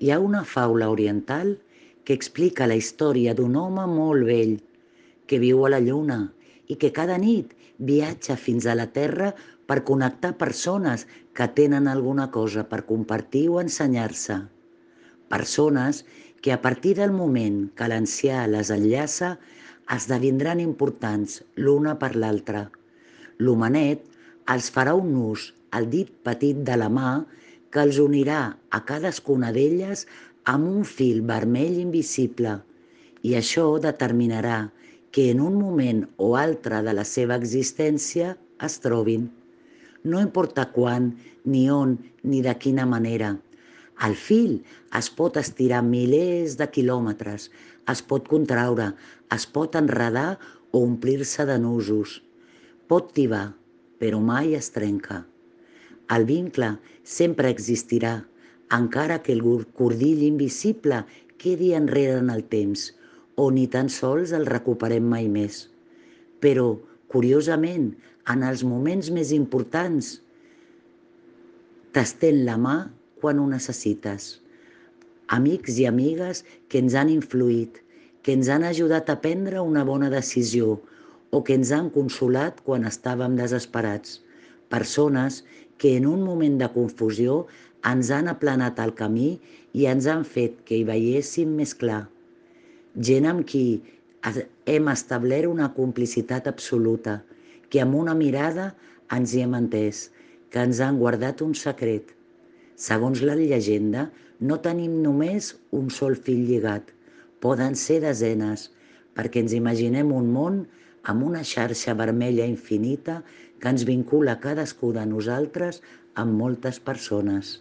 Hi ha una faula oriental que explica la història d'un home molt vell que viu a la lluna i que cada nit viatja fins a la Terra per connectar persones que tenen alguna cosa per compartir o ensenyar-se. Persones que a partir del moment que l'ancià les enllaça esdevindran importants l'una per l'altra. L'homenet els farà un nus al dit petit de la mà que els unirà a cadascuna d'elles amb un fil vermell invisible i això determinarà que en un moment o altre de la seva existència es trobin. No importa quan, ni on, ni de quina manera. El fil es pot estirar milers de quilòmetres, es pot contraure, es pot enredar o omplir-se de nusos. Pot tibar, però mai es trenca. El vincle sempre existirà, encara que el cordill invisible quedi enrere en el temps, o ni tan sols el recuperem mai més. Però, curiosament, en els moments més importants, t'estén la mà quan ho necessites. Amics i amigues que ens han influït, que ens han ajudat a prendre una bona decisió o que ens han consolat quan estàvem desesperats. Persones que en un moment de confusió ens han aplanat el camí i ens han fet que hi veiéssim més clar. Gent amb qui hem establert una complicitat absoluta, que amb una mirada ens hi hem entès, que ens han guardat un secret. Segons la llegenda, no tenim només un sol fill lligat, poden ser desenes, perquè ens imaginem un món amb una xarxa vermella infinita que ens vincula cadascú de nosaltres amb moltes persones.